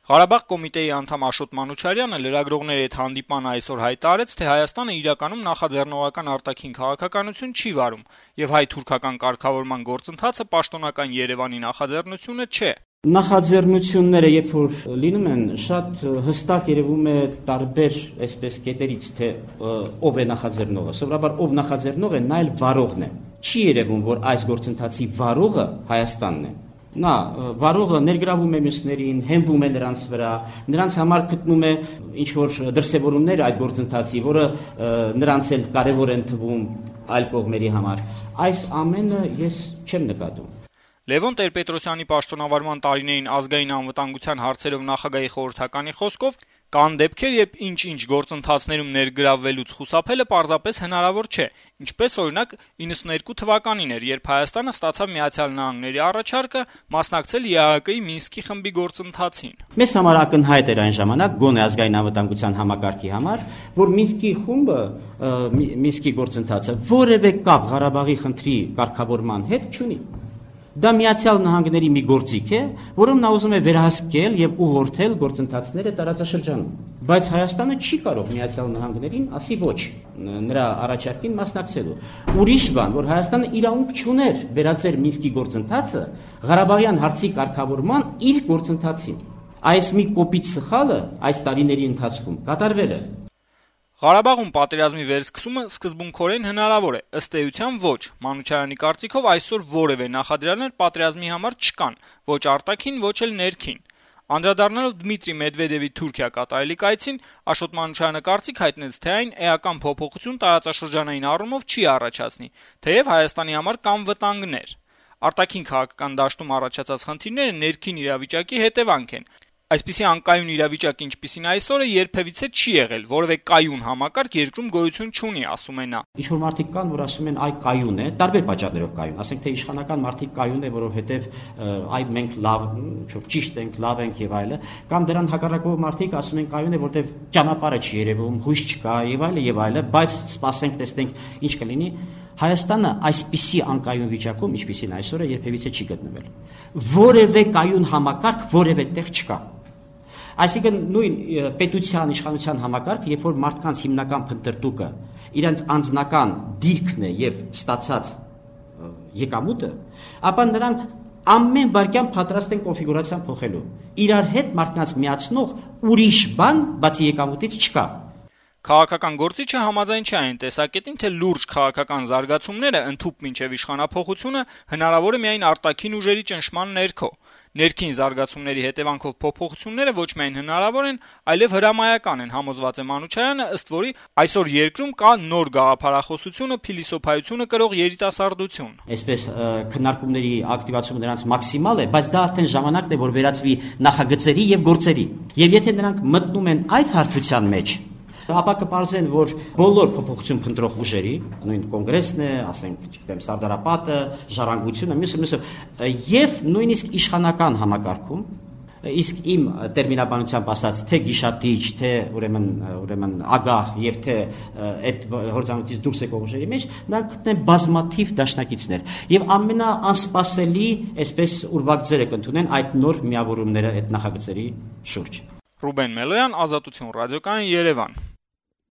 Ղարաբաղ կոմիտեի անդամ Աշոտ Մանուչարյանը լրագրողների հետ հանդիպման այսօր հայտարարեց, թե Հայաստանը իրականում նախաձեռնողական արտաքին քաղաքականություն չի վարում, եւ հայ-թուրքական կարգավորման գործընթացը պաշտոնական Երևանի նախաձեռնությունը չէ։ Նախաձեռնությունները, երբ որ լինում են, շատ հստակ երևում է տարբեր այսպես կետերից, թե ով է նախաձեռնողը։ Սովորաբար ով նախաձեռնող է, նա էլ վարողն է։ Չի երևում, որ այս գործընթացի վարողը Հայաստանն է։ Նա վարողը ներգրավում է մյուսներին, հենվում է նրանց վրա, նրանց համար գտնում է ինչ-որ դրսևորումներ այդ գործընթացի, որը նրանց էլ կարևոր են թվում այլ կողմերի համար։ Այս ամենը ես չեմ նկատում։ Լևոն Տեր-Պետրոսյանի պաշտոնավարման տարիներին ազգային անվտանգության հարցերով նախագահի խորհրդականի խոսքով կան դեպքեր, երբ ինչ-ինչ գործընթացներում ներգրավվելուց խուսափելը պարզապես հնարավոր չէ, ինչպես օրինակ 92 թվականին էր, երբ Հայաստանը ստացավ Միացյալ Նահանգների առաջարկը մասնակցել ԵԱՀԿ-ի Մինսկի խմբի գործընթացին։ Մեզ համար ակնհայտ էր այն ժամանակ գոնե ազգային անվտանգության համակարգի համար, որ Մինսկի խումբը, Մինսկի գործընթացը որևէ կապ Ղարաբաղի խնդրի կարգավորման հետ չունի։ Դա Միացյալ Նահանգների մի գործիք է, որում նա ուզում է վերահսկել եւ ուղղորդել գործընթացները տարածաշրջանում։ Բայց Հայաստանը չի կարող Միացյալ Նահանգներին ասի ոչ նրա առաջարկին մասնակցելու։ Ուրիշ բան, որ Հայաստանը իրավունք չուներ վերածել Մինսկի գործընթացը Ղարաբաղյան հարցի կարգավորման իր գործընթացին։ Այս մի կոպիտ սխալը այս տարիների ընթացքում կատարվել է։ Ղարաբաղում պատերազմի վերսկսումը սկզբունքորեն հնարավոր է, ըստ էության ոչ։ Մանուչարյանի կարծիքով այսօր որևէ նախադրյալներ պատերազմի համար չկան, ոչ արտաքին, ոչ էլ ներքին։ Անդրադառնալով Դմիտրի Մեդվեդևի Թուրքիա կատարելիք այցին, Աշոտ Մանուչարյանը կարծիք հայտնեց, թե այն էական փոփոխություն տարածաշրջանային առումով չի առաջացնի, թեև Հայաստանի համար կան վտանգներ։ Արտաքին քաղաքական դաշտում առաջացած խնդիրները ներքին իրավիճակի հետևանք են։ Այսպիսի անկայուն իրավիճակ, ինչպիսին այսօրը, երբևիցե չի եղել, որևէ կայուն համակարգ երկրում գոյություն չունի, ասում է նա։ Ինչ-որ մարդիկ կան, որ ասում են այ կայուն է, տարբեր պատճառներով կայուն, ասենք թե իշխանական մարդիկ կայուն է, որովհետև այ մենք լավ, ճիշտ ենք, լավ ենք եւ այլը, կամ դրան հակառակող մարդիկ ասում են կայուն է, որովհետև ճանապարհը չի երևում, հույս չկա եւ այլը, բայց սպասենք, տեսնենք ինչ կլինի։ Հայաստանը այսպիսի անկայուն վիճակում, ինչպիսին այսօրը, երբևիցե չի գտնվել։ Որևէ կայուն համակարգ որևէ տեղ չկա։ Այսինքն նույն պետության իշխանության համակարգ, երբ որ մարդկանց հիմնական փնտրտուքը իրենց անձնական դիրքն է եւ ստացած եկամուտը, ապա նրանք ամեն վարքյան պատրաստ են կոնֆիգուրացիան փոխելու։ Իրար հետ մարդկանց միացնող ուրիշ բան բացի եկամուտից չկա։ Քաղաքական գործիչը համաձայն չէ այն տեսակետին, թե լուրջ քաղաքական զարգացումները ընդհուպ մինչև իշխանափոխությունը հնարավոր է միայն արտաքին ուժերի ճնշման ներքո։ Ներքին զարգացումների հետևանքով փոփոխությունները ոչ միայն հնարավոր են, այլև հրամայական են, համոզված է Մանուչարյանը, ըստ որի այսօր երկրում կա նոր գաղափարախոսությունը, փիլիսոփայությունը կրող երիտասարդություն։ Այսպես քննարկումների ակտիվացումը նրանց մաքսիմալ է, բայց դա արդեն ժամանակն է, որ վերածվի նախագծերի եւ գործերի։ Եվ եթե նրանք մտնում են այդ հարթության մեջ, ապա կպարզեն, որ բոլոր փոփոխություն փնտրող ուժերի, նույն կոնգրեսն է, ասենք, չգիտեմ, Սարդարապետը, Ժառանգությունը, մյուսը, եւ նույնիսկ իշխանական համակարգում, իսկ իմ տերմինաբանությամբ ասած, թե գիշատիչ, թե ուրեմն ագահ եւ թե այդ հորձանուտից դուրս եկող ուժերի մեջ, նրանք գտնեն բազմաթիվ դաշնակիցներ եւ ամենաանսպասելի, այսպես ուրվագ ձերը կընդունեն այդ նոր միավորումները այդ նախագծերի շուրջ։ Ռուբեն Մելոյան, Ազատություն ռադիոկայան, Երևան։